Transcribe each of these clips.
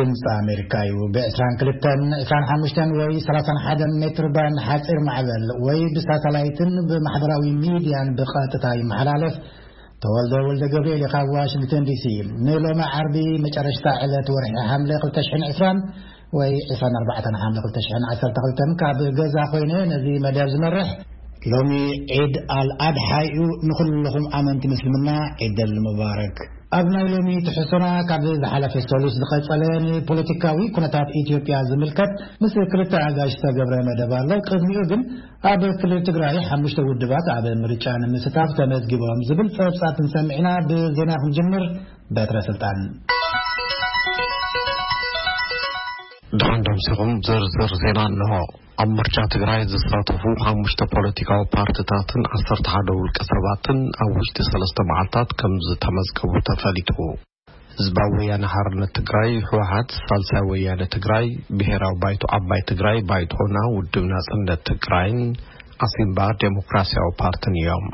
ድምፂ ኣሜሪካ እዩ። ብ22፣ 25 ወይ 31 ሜትር ባንድ ሓፂር ማዕበል ወይ ብሳተላይትን ብማሕበራዊ ሚድያን ብቐጥታ ይመሓላለፍ። ተወልደ ወልደ ገብርኤል ካብ ዋሽንግተን ዲሲ። ንሎሚ ዓርቢ መጨረሽታ ዕለት ወርሒ ሓምለ 2020 ወይ 24 ሓምለ 2012 ካብ ገዛ ኮይነ ነዚ መደብ ዝመርሕ። ሎሚ ዒድ ኣል ኣድሓ እዩ። ንኹልኹም ኣመንቲ ምስልምና ዒድ ኣል ሙባረክ። ኣብ ናይ ሎሚ ትሕዝቶና ካብ ዝሓለፈ ሰሉስ ዝቐጸለ ንፖለቲካዊ ኩነታት ኢትዮጵያ ዝምልከት ምስ ክልተ ኣጋይሽ ዝተገብረ መደብ ኣሎ። ቅድሚኡ ግን ኣብ ክልል ትግራይ ሓሙሽተ ውድባት ኣብ ምርጫ ንምስታፍ ተመዝጊቦም ዝብል ጸብጻብ ክንሰምዕ ኢና። ብዜና ክንጅምር። በትረ ስልጣን። ደሓን ደምሲኹም ዝርዝር ዜና ኣለዎ። ኣብ ምርጫ ትግራይ ዝሳተፉ ሓሙሽተ ፖለቲካዊ ፓርቲታትን 11 ውልቀ ሰባትን ኣብ ውሽጢ ሰለስተ መዓልታት ከም ዝተመዝገቡ ተፈሊጡ። ህዝባዊ ወያነ ሓርነት ትግራይ፣ ህወሓት፣ ሳልሳይ ወያነ ትግራይ፣ ብሔራዊ ባይቶ ዓባይ ትግራይ፣ ባይቶና፣ ውድብ ናጽነት ትግራይን ኣሲምባ ዴሞክራሲያዊ ፓርትን እዮም።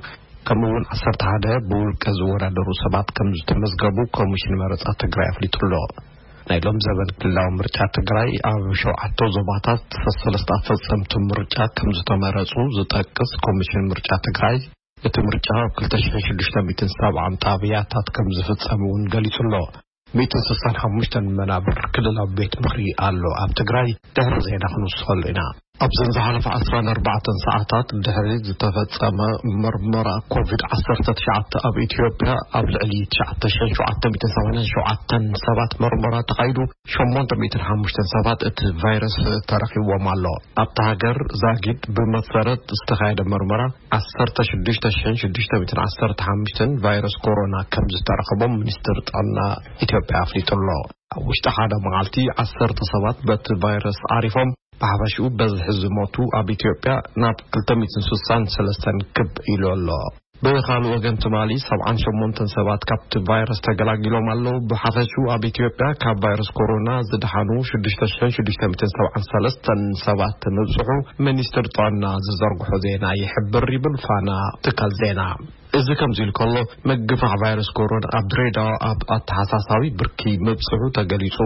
ከምኡ እውን 11 ብውልቀ ዝወዳደሩ ሰባት ከም ዝተመዝገቡ ኮሚሽን መረጻ ትግራይ ኣፍሊጡ ኣሎ። ናይ ሎም ዘበን ክልላዊ ምርጫ ትግራይ ኣብ ሸውዓተ ዞባታት ሰለስተ ኣፈጸምቲ ምርጫ ከም ዝተመረጹ ዝጠቅስ ኮሚሽን ምርጫ ትግራይ፣ እቲ ምርጫ ኣብ 2,670 ጣብያታት ከም ዝፍጸም እውን ገሊጹ ኣሎ። 165 መናብር ክልላዊ ቤት ምኽሪ ኣሎ ኣብ ትግራይ። ድሕሪ ዜና ክንውስኸሉ ኢና። ኣብዘን ዝሓለፈ 14 ሰዓታት ድሕሪ ዝተፈጸመ መርመራ ኮቪድ-19 ኣብ ኢትዮጵያ፣ ኣብ ልዕሊ 9,787 ሰባት መርመራ ተኻይዱ፣ 805 ሰባት እቲ ቫይረስ ተረኺብዎም ኣሎ። ኣብታ ሃገር ዛጊድ ብመሰረት ዝተኻየደ መርመራ፣ 16,615 ቫይረስ ኮሮና ከም ዝተረኸቦም ሚኒስትር ጥዕና ኢትዮጵያ ኣፍሊጡ ኣሎ። ኣብ ውሽጢ ሓደ መዓልቲ 10 ሰባት በቲ ቫይረስ ዓሪፎም፣ ብሓፈሽኡ በዝሒ ዝሞቱ ኣብ ኢትዮጵያ ናብ 263 ክብ ኢሉ ኣሎ። ብኻልእ ወገን፣ ትማሊ 78 ሰባት ካብቲ ቫይረስ ተገላጊሎም ኣለዉ። ብሓፈሽኡ ኣብ ኢትዮጵያ ካብ ቫይረስ ኮሮና ዝደሓኑ 6,673 ሰባት ምብጽሑ ሚኒስትር ጥዕና ዝዘርግሖ ዜና ይሕብር፣ ይብል ፋና ትካል ዜና። እዚ ከምዚ ኢሉ ከሎ፣ ምግፋሕ ቫይረስ ኮሮና ኣብ ድሬዳዋ ኣብ ኣተሓሳሳቢ ብርኪ ምብጽሑ ተገሊጹ።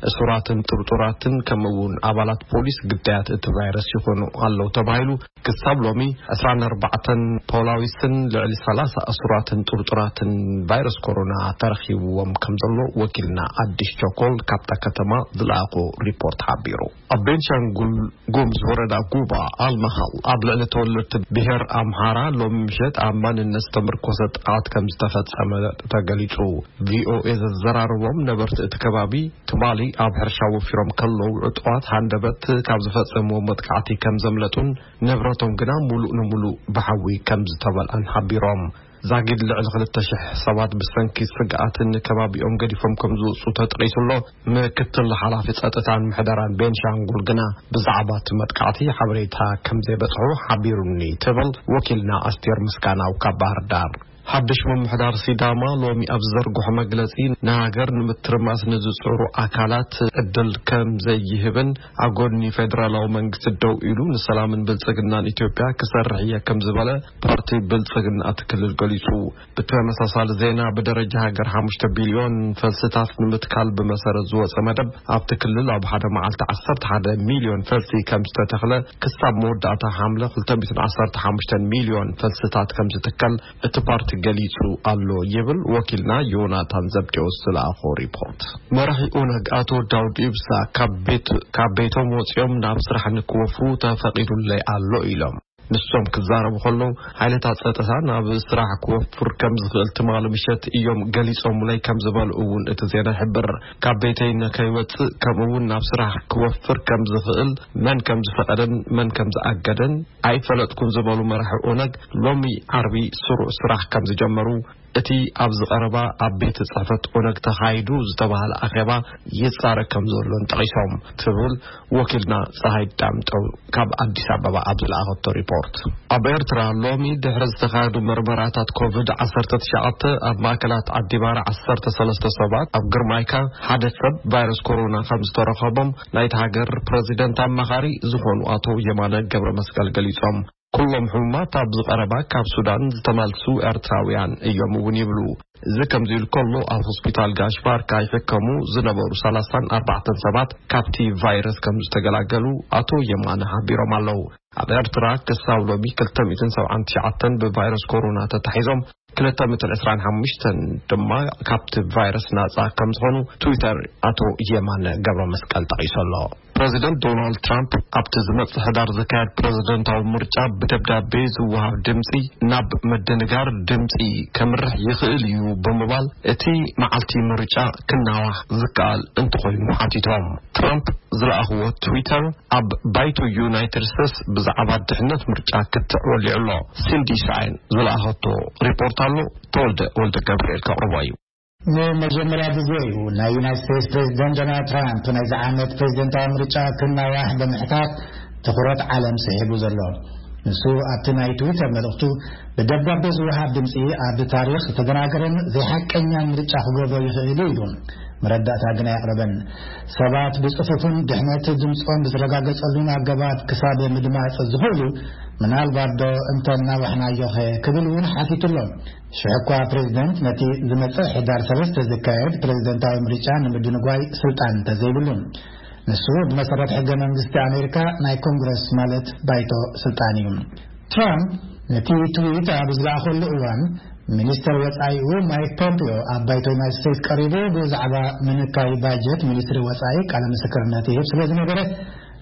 እሱራትን ጥርጡራትን ከምኡ እውን ኣባላት ፖሊስ ግዳያት እቲ ቫይረስ ይኾኑ ኣለዉ ተባሂሉ። ክሳብ ሎሚ 24 ፖላዊስን ልዕሊ 30 እሱራትን ጥርጡራትን ቫይረስ ኮሮና ተረኺብዎም ከም ዘሎ ወኪልና ኣዲስ ቸኮል ካብታ ከተማ ዝለኣኾ ሪፖርት ሓቢሩ። ኣብ ቤንሻንጉል ጉምዝ ወረዳ ጉባ ኣልማኻል ኣብ ልዕሊ ተወለድቲ ብሄር ኣምሓራ ሎሚ ምሸት ኣብ ማንነት ዝተመርኮሰ ጥቃት ከም ዝተፈጸመ ተገሊጹ። ቪኦኤ ዘዘራረቦም ነበርቲ እቲ ከባቢ፣ ትማሊ ኣብ ሕርሻ ወፊሮም ከለዉ ዕጡቓት ሃንደበት ካብ ዝፈጸምዎ መጥቃዕቲ ከም ዘምለጡን ንብረቶም ግና ሙሉእ ንሙሉእ ብሓዊ ከም ዝተመልኣን ሓቢሮም። ዛጊድ ልዕሊ 2,000 ሰባት ብሰንኪ ስግኣትን ከባቢኦም ገዲፎም ከም ዝወጹ ተጠቒሱ ኣሎ። ምክትል ሓላፊ ጸጥታን ምሕደራን ቤንሻንጉል ግና ብዛዕባ እቲ መጥቃዕቲ ሓበሬታ ከም ዘይበጽሑ ሓቢሩኒ ትብል ወኪልና ኣስቴር ምስጋናው ካብ ባህር ዳር። ሓድሽ ምምሕዳር ሲዳማ ሎሚ ኣብ ዝዘርግሖ መግለጺ፣ ንሃገር ንምትርማስ ንዝጽዕሩ ኣካላት ዕድል ከም ዘይህብን ኣብ ጎኒ ፌደራላዊ መንግስቲ ደው ኢሉ ንሰላምን ብልጽግናን ኢትዮጵያ ክሰርሕ እየ ከም ዝበለ ፓርቲ ብልጽግና እቲ ክልል ገሊጹ። ብተመሳሳሊ ዜና፣ ብደረጃ ሃገር 5 ቢልዮን ፈልስታት ንምትካል ብመሰረት ዝወጸ መደብ፣ ኣብቲ ክልል ኣብ ሓደ መዓልቲ 11 ሚልዮን ፈልሲ ከም ዝተተኽለ፣ ክሳብ መወዳእታ ሓምለ 215 ሚልዮን ፈልስታት ከም ዝትከል እቲ ፓርቲ ገሊጹ ኣሎ ይብል ወኪልና ዮናታን ዘብዴዎስ ዝለኣኾ ሪፖርት። መራሒ ኦነግ ኣቶ ዳውድ ኢብሳ ካብ ቤት-፣ ካብ ቤቶም ወጺኦም ናብ ስራሕ ንክወፍሩ ተፈቒዱለይ ኣሎ ኢሎም። ንሶም ክዛረቡ ከለዉ፣ ሓይልታት ጸጥታ ናብ ስራሕ ክወፍር ከም ዝኽእል ትማሊ ምሸት እዮም ገሊጾምለይ ከም ዝበሉ እውን እቲ ዜና ይሕብር። ካብ ቤተይ ንከይወጽእ፣ ከምኡ እውን ናብ ስራሕ ክወፍር ከም ዝኽእል መን ከም ዝፈቐደን መን ከም ዝኣገደን ኣይፈለጥኩን ዝበሉ መራሒ ኦነግ፣ ሎሚ ዓርቢ ስሩዕ ስራሕ ከም ዝጀመሩ፣ እቲ ኣብዚ ቀረባ ኣብ ቤት ጽሕፈት ኦነግ ተኻይዱ ዝተባህለ ኣኼባ ይጻረ ከም ዘሎን ጠቒሶም ትብል ወኪልና ጸሃይ ዳምጠው ካብ ኣዲስ ኣበባ ኣብ ዝለኣኸቶ ሪፖርት። ኣብ ኤርትራ ሎሚ ድሕሪ ዝተኻየዱ መርመራታት ኮቪድ-19 ኣብ ማእከላት ዓዲባራ 13 ሰባት፣ ኣብ ግርማይካ ሓደ ሰብ ቫይረስ ኮሮና ከም ዝተረኸቦም ናይቲ ሃገር ፕረዚደንት ኣማኻሪ ዝኾኑ ኣቶ የማነ ገብረ መስቀል ገሊጾም። ኩሎም ሕሙማት ኣብዚ ቀረባ ካብ ሱዳን ዝተመልሱ ኤርትራውያን እዮም እውን ይብሉ። እዚ ከምዚ ኢሉ ከሎ፣ ኣብ ሆስፒታል ጋሽ ባርካ ይሕከሙ ዝነበሩ ሰላሳን ኣርባዕተን ሰባት ካብቲ ቫይረስ ከም ዝተገላገሉ ኣቶ የማነ ሓቢሮም ኣለዉ። ኣብ ኤርትራ ክሳብ ሎሚ ክልተ ሚእትን ሰብዓን ትሽዓተን ብቫይረስ ኮሮና ተታሒዞም፣ ክልተ ሚእትን ዕስራን ሓሙሽተን ድማ ካብቲ ቫይረስ ናጻ ከም ዝኾኑ ትዊተር ኣቶ የማነ ገብረ መስቀል ጠቒሱ ኣሎ። ፕረዚደንት ዶናልድ ትራምፕ ኣብቲ ዝመጽእ ሕዳር ዝካየድ ፕረዚደንታዊ ምርጫ ብደብዳቤ ዝወሃብ ድምጺ ናብ ምድንጋር ድምጺ ከምርሕ ይኽእል እዩ ብምባል፣ እቲ መዓልቲ ምርጫ ክናዋሕ ዝከኣል እንተኾይኑ ሓቲቶም። ትራምፕ ዝለኣኽዎ ትዊተር ኣብ ባይቶ ዩናይትድ ስቴትስ ብዛዕባ ድሕነት ምርጫ ክትዕ ወሊዑ ኣሎ። ሲንዲ ሳይን ዝለኣኸቶ ሪፖርት ኣሎ። ተወልደ ወልደ ገብርኤል ከቕርቦ እዩ። ንመጀመርያ ግዜ እዩ ናይ ዩናይትድ ስቴትስ ፕሬዚደንት ዶናልድ ትራምፕ ናይዚ ዓመት ፕሬዚደንታዊ ምርጫ ክናዋሕ ብምሕታት ትኹረት ዓለም ስሒቡ ዘሎ። ንሱ ኣብቲ ናይ ትዊተር መልእኽቱ፣ ብደብዳቤ ዝወሃብ ድምፂ ኣብ ታሪኽ ዝተደናገረን ዘይሓቀኛን ምርጫ ክገብሮ ይኽእል እዩ ኢሉ። መረዳእታ ግን ኣየቕረበን። ሰባት ብጽፉፍን ድሕነት ድምጾም ብዝረጋገጸሉን ኣገባብ ክሳብ ምድማጽ ዝኽእሉ፣ ምናልባት ዶ እንተ እናዋሕናዮኸ ክብል እውን ሓቲቱ ኣሎ። ሽሕ እኳ ፕሬዚደንት ነቲ ዝመጽእ ሕዳር ሰለስተ ዝካየድ ፕሬዚደንታዊ ምርጫ ንምድንጓይ ስልጣን እንተዘይብሉ፣ ንሱ ብመሰረት ሕገ መንግስቲ ኣሜሪካ ናይ ኮንግረስ ማለት ባይቶ ስልጣን እዩ። ትራምፕ ነቲ ትዊት ኣብ ዝለኣኸሉ እዋን፣ ሚኒስተር ወጻኢኡ ማይክ ፖምፒዮ ኣብ ባይቶ ዩናይትድ ስቴትስ ቀሪቡ ብዛዕባ ምንካይ ባጀት ሚኒስትሪ ወጻኢ ቃለ ምስክርነት ይህብ ስለ ዝነበረ፣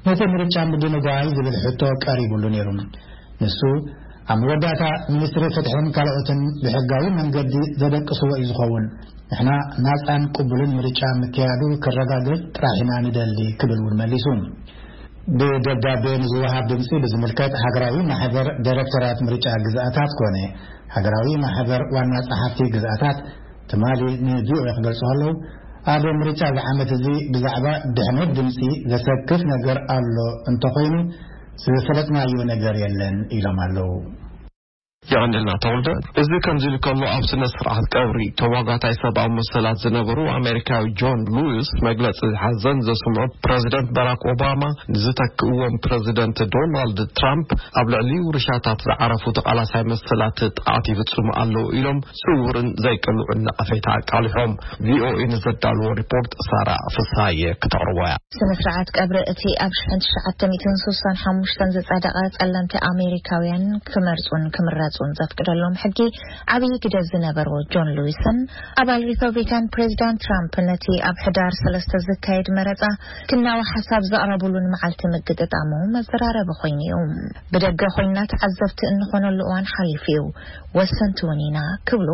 ነቲ ምርጫ ምድንጓይ ዝብል ሕቶ ቀሪቡሉ ነይሩ። ንሱ፣ ኣብ መወዳእታ ሚኒስትሪ ፍትሕን ካልኦትን ብሕጋዊ መንገዲ ዘደቅስዎ እዩ ዝኸውን። ንሕና ናጻን ቅቡልን ምርጫ ምክያዱ ክረጋገጽ ጥራሕ ኢና ንደሊ ክብል እውን መሊሱ። ብደብዳቤ ንዝወሃብ ድምጺ ብዝምልከት ሃገራዊ ማሕበር ዳይሬክተራት ምርጫ ግዝኣታት ኮነ ሃገራዊ ማሕበር ዋና ጸሓፍቲ ግዝኣታት ትማሊ ንቪኦኤ ክገልጹ ከለዉ፣ ኣብ ምርጫ እዚ ዓመት እዚ ብዛዕባ ድሕነት ድምጺ ዘሰክፍ ነገር ኣሎ እንተኾይኑ ዝፈለጥናዮ ነገር የለን ኢሎም ኣለዉ። የቐንልና ተወልደ። እዚ ከምዚ ኢሉ ከሎ፣ ኣብ ስነ ስርዓት ቀብሪ ተሟጋታይ ሰብኣዊ መሰላት ዝነበሩ ኣሜሪካዊ ጆን ሉዊስ መግለጺ ሓዘን ዘስምዑ ፕረዚደንት ባራክ ኦባማ፣ ንዝተክእዎም ፕረዚደንት ዶናልድ ትራምፕ ኣብ ልዕሊ ውርሻታት ዝዓረፉ ተቓላሳይ መሰላት ጥቕዓት ይፍጽሙ ኣለዉ ኢሎም ስውርን ዘይቅልዑን ነቐፌታ ኣቃሊሖም። ቪኦኤ ንዘዳልዎ ሪፖርት ሳራ ፍስሃየ ክተቕርቦ እያ። ስነ ስርዓት ቀብሪ እቲ ኣብ ሽሕን ትሽዓተ ሚእትን ስሳን ሓሙሽተን ዝጸደቐ ጸለምቲ ኣሜሪካውያን ክመርጹን ክምረጹን ዘፍቅደሎም ሕጊ ዓብዪ ግደ ዝነበሮ ጆን ሉዊስን ኣባል ሪፐብሊካን ፕሬዚዳንት ትራምፕ ነቲ ኣብ ሕዳር ሰለስተ ዝካየድ መረጻ ክናዋሕ ሓሳብ ዘቕረቡሉን መዓልቲ ምግጥጣሙ መዘራረቢ ኮይኑ እዩ። ብደገ ኮይና ተዓዘብቲ እንኾነሉ እዋን ሓሊፉ እዩ፣ ወሰንቲ እውን ኢና ክብሉ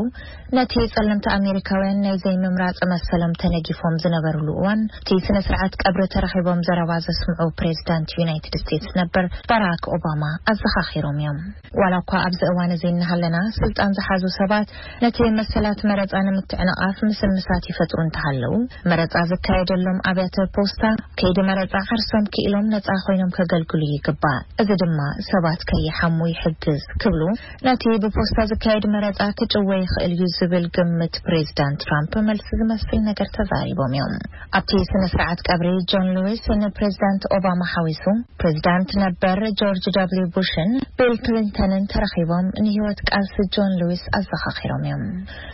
ነቲ ጸለምቲ ኣሜሪካውያን ናይ ዘይምምራጽ መሰሎም ተነጊፎም ዝነበሩሉ እዋን፣ እቲ ስነ ስርዓት ቀብሪ ተረኺቦም ዘረባ ዘስምዑ ፕሬዚዳንት ዩናይትድ ስቴትስ ነበር ባራክ ኦባማ ኣዘኻኺሮም እዮም። ዋላ እኳ ኣብዚ እዋን እዚ እናሃለና ስልጣን ዝሓዙ ሰባት ነቲ መሰላት መረጻ ንምትዕንቓፍ ምስምሳት ይፈጥሩ እንተሃለዉ፣ መረጻ ዝካየደሎም ኣብያተ ፖስታ ከይዲ መረጻ ዓርሶም ክኢሎም ነጻ ኮይኖም ከገልግሉ ይግባእ። እዚ ድማ ሰባት ከይሓሙ ይሕግዝ ክብሉ ነቲ ብፖስታ ዝካየድ መረጻ ክጭወ ይኽእል እዩ ዝብል ግምት ፕሬዚዳንት ትራምፕ መልሲ ዝመስል ነገር ተዛሪቦም እዮም። ኣብቲ ስነ ስርዓት ቀብሪ ጆን ሉዊስ ንፕሬዚዳንት ኦባማ ሓዊሱ ፕሬዚዳንት ነበር ጆርጅ ደብሊው ቡሽን ቢል ክሊንተንን ተረኺቦም ንህይወት ቃልሲ ጆን ሉዊስ ኣዘኻኺሮም እዮም።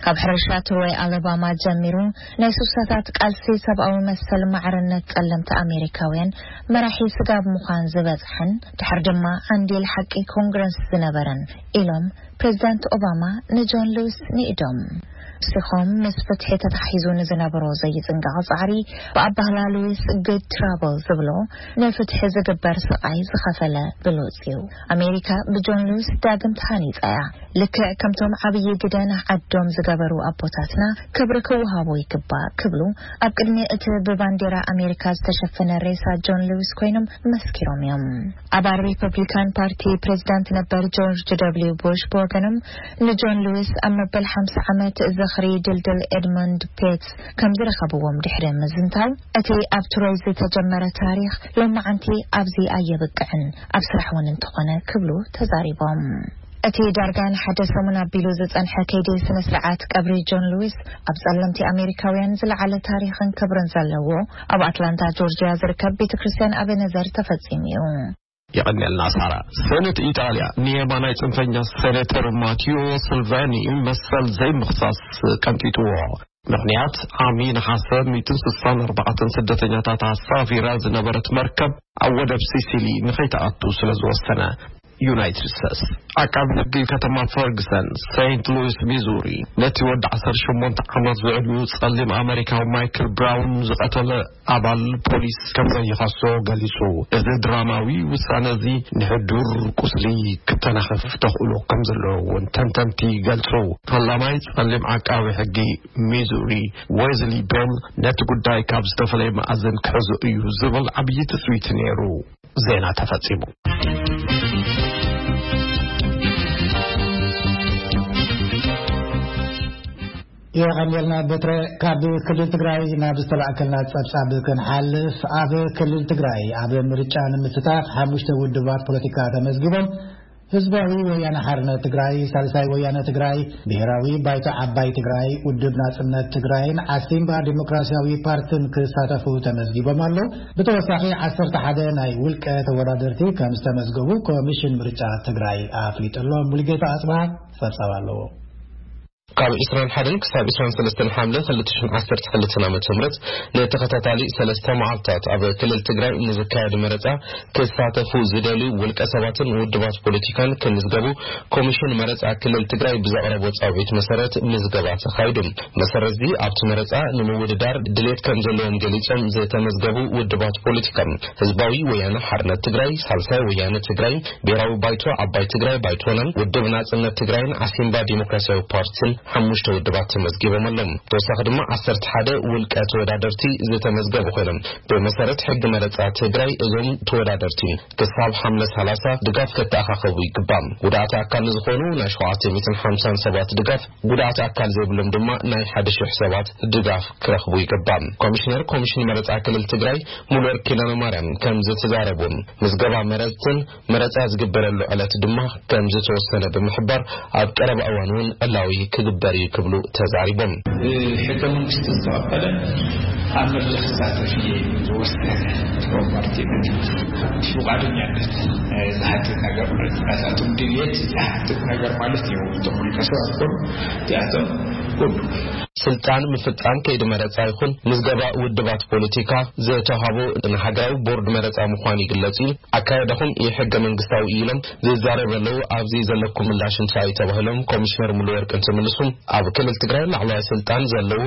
ካብ ሕርሻ ትሮይ ኣለባማ ጀሚሩ ናይ ሱሳታት ቃልሲ ሰብኣዊ መሰል ማዕርነት ጸለምቲ ኣሜሪካውያን መራሒ ስጋብ ምዃን ዝበጽሐን ድሕር ድማ ዓንዲል ሓቂ ኮንግረስ ዝነበረን ኢሎም ፕሬዚዳንት ኦባማ ንጆን ሉዊስ ንኢዶም። ሲኾም ምስ ፍትሒ ተታሒዙ ንዝነበሮ ዘይጽንቀቕ ጻዕሪ ብኣባህላ ሉዊስ ግድ ትራብል ዝብሎ ንፍትሒ ዝግበር ስቓይ ዝኸፈለ ብሉጽ እዩ። ኣሜሪካ ብጆን ሉዊስ ዳግም ተሃኒጻ እያ። ልክዕ ከምቶም ዓብዪ ግደ ንዓዶም ዝገበሩ ኣቦታትና ክብሪ ክወሃቦ ይግባእ ክብሉ ኣብ ቅድሚ እቲ ብባንዴራ ኣሜሪካ ዝተሸፈነ ሬሳ ጆን ሉዊስ ኮይኖም መስኪሮም እዮም። ኣባል ሪፐብሊካን ፓርቲ ፕሬዚዳንት ነበር ጆርጅ ደብሊው ቡሽ ብወገኖም ንጆን ሉዊስ ኣብ መበል ሓምሳ ዓመት ዝኽሪ ድልድል ኤድሞንድ ፔትስ ከም ዝረኸብዎም ድሕሪ ምዝንታው፣ እቲ ኣብ ትሮይ ዝተጀመረ ታሪኽ ሎማዓንቲ ኣብዚ ኣየብቅዕን፣ ኣብ ስራሕ እውን እንተኾነ ክብሉ ተዛሪቦም። እቲ ዳርጋ ንሓደ ሰሙን ኣቢሉ ዝጸንሐ ከይዲ ስነ ስርዓት ቀብሪ ጆን ሉዊስ ኣብ ጸለምቲ ኣሜሪካውያን ዝለዓለ ታሪኽን ክብርን ዘለዎ ኣብ ኣትላንታ ጆርጅያ ዝርከብ ቤተ ክርስቲያን ኣቤነዘር ተፈጺሙ እዩ። የቐንየልና ሳራ። ሰነት ኢጣልያ ንየማናይ ጽንፈኛ ሴኔተር ማቲዮ ስልቫኒ መሰል ዘይምኽሳስ ቀንጢጥዎ። ምኽንያት፣ ዓሚ ነሓሰ ሚእትን ስሳን ኣርባዕተን ስደተኛታት ኣሳፊራ ዝነበረት መርከብ ኣብ ወደብ ሲሲሊ ንኸይትኣቱ ስለ ዝወሰነ። ዩናይትድ ስቴትስ፣ ዓቃቢ ሕጊ ከተማ ፈርግሰን፣ ሴንት ሉዊስ ሚዙሪ፣ ነቲ ወዲ ዓሰርተ ሸሞንተ ዓመት ዝዕድሚኡ ጸሊም ኣመሪካዊ ማይክል ብራውን ዝቐተለ ኣባል ፖሊስ ከም ዘይኸሶ ገሊጹ። እዚ ድራማዊ ውሳነ እዚ ንሕዱር ቁስሊ ክተናኽፍ ተኽእሎ ከም ዘለዎ እውን ተንተንቲ ይገልጹ። ፈላማይ ጸሊም ዓቃቢ ሕጊ ሚዙሪ፣ ዌዝሊ ቤል፣ ነቲ ጉዳይ ካብ ዝተፈላለየ መኣዝን ክሕዞ እዩ ዝብል ዓብዪ ትጽቢት ነይሩ። ዜና ተፈጺሙ። የቐንየልና በትረ። ካብ ክልል ትግራይ ናብ ዝተላእከልና ጸብጻብ ክንሓልፍ፣ ኣብ ክልል ትግራይ ኣብ ምርጫ ንምስታፍ ሓሙሽተ ውድባት ፖለቲካ ተመዝጊቦም። ህዝባዊ ወያነ ሓርነት ትግራይ፣ ሳልሳይ ወያነ ትግራይ፣ ብሔራዊ ባይቶ ዓባይ ትግራይ፣ ውድብ ናጽነት ትግራይን ዓሲምባ ዲሞክራሲያዊ ፓርትን ክሳተፉ ተመዝጊቦም ኣለዉ። ብተወሳኺ ዓሰርተ ሓደ ናይ ውልቀ ተወዳደርቲ ከም ዝተመዝገቡ ኮሚሽን ምርጫ ትግራይ ኣፍሊጡ ኣሎ። ሙሉጌታ ኣጽብሃ ጸብጻብ ኣለዎ። ካብ ዕስራን ሓደን ክሳብ ዕስራን ሰለስተን ሓምለ ክልተ ሽሕን ዓሰርተ ክልተን ዓመተ ምህረት ንተኸታታሊ ሰለስተ መዓልታት ኣብ ክልል ትግራይ ንዝካየድ መረጻ ክሳተፉ ዝደልዩ ውልቀ ሰባትን ውድባት ፖለቲካን ክምዝገቡ ኮሚሽን መረጻ ክልል ትግራይ ብዘቕረቦ ጻውዒት መሰረት ምዝገባ ተኻይዱ። መሰረት እዚ ኣብቲ መረጻ ንምውድዳር ድሌት ከም ዘለዎም ገሊጾም ዝተመዝገቡ ውድባት ፖለቲካ ህዝባዊ ወያነ ሓርነት ትግራይ፣ ሳልሳይ ወያነ ትግራይ፣ ብሔራዊ ባይቶ ዓባይ ትግራይ ባይቶና፣ ውድብ ናጽነት ትግራይን ዓሲምባ ዲሞክራሲያዊ ፓርቲን ሓሙሽተ ውድባት ተመዝጊቦም ኣለዉ። ተወሳኺ ድማ ዓሰርተ ሓደ ውልቀ ተወዳደርቲ ዝተመዝገቡ ኮይኖም፣ ብመሰረት ሕጊ መረጻ ትግራይ እዞም ተወዳደርቲ ክሳብ ሓምለ ሰላሳ ድጋፍ ከተኣኻኸቡ ይግባእ። ጉዳኣት ኣካል ንዝኾኑ ናይ ሸውዓተ ሚእትን ሓምሳን ሰባት ድጋፍ፣ ጉዳኣት ኣካል ዘይብሎም ድማ ናይ ሓደ ሽሕ ሰባት ድጋፍ ክረኽቡ ይግባእ። ኮሚሽነር ኮሚሽን መረጻ ክልል ትግራይ ሙሉወርቅ ኪዳነ ማርያም ከም ዝተዛረቡ፣ ምዝገባ መረጽትን መረጻ ዝግበረሉ ዕለት ድማ ከም ዝተወሰነ ብምሕባር፣ ኣብ ቀረባ እዋን እውን ዕላዊ ክግበር እዩ ክብሉ ተዛሪቦም። ሕገ መንግስቲ ዝተቐበለ ኣብ መድረኽ ክሳተፍ እየ ዝወሰነ ፓርቲ ብፍቓደኛነት ዝሓትት ነገር ማለት ናታቶም ድልየት ዝሓትት ነገር ማለት እዩ። እቶም ውልቀ ሰባት ኮኑ እቲኣቶም ኩሉ ስልጣን ምፍጻም ከይዲ መረጻ ይኹን ምዝገባ ውድባት ፖለቲካ ዝተዋህቦ ንሃገራዊ ቦርድ መረጻ ምዃኑ ይግለጽ እዩ። ኣካየዳኹም ኢ-ሕገ መንግስታዊ እዩ ኢሎም ዝዛረቡ ኣለዉ። ኣብዚ ዘለኩም ምላሽ እንታይ እዩ ተባሂሎም ኮሚሽነር ሙሉወርቅ እንትምልሱ፣ ኣብ ክልል ትግራይ ላዕለዋይ ስልጣን ዘለዎ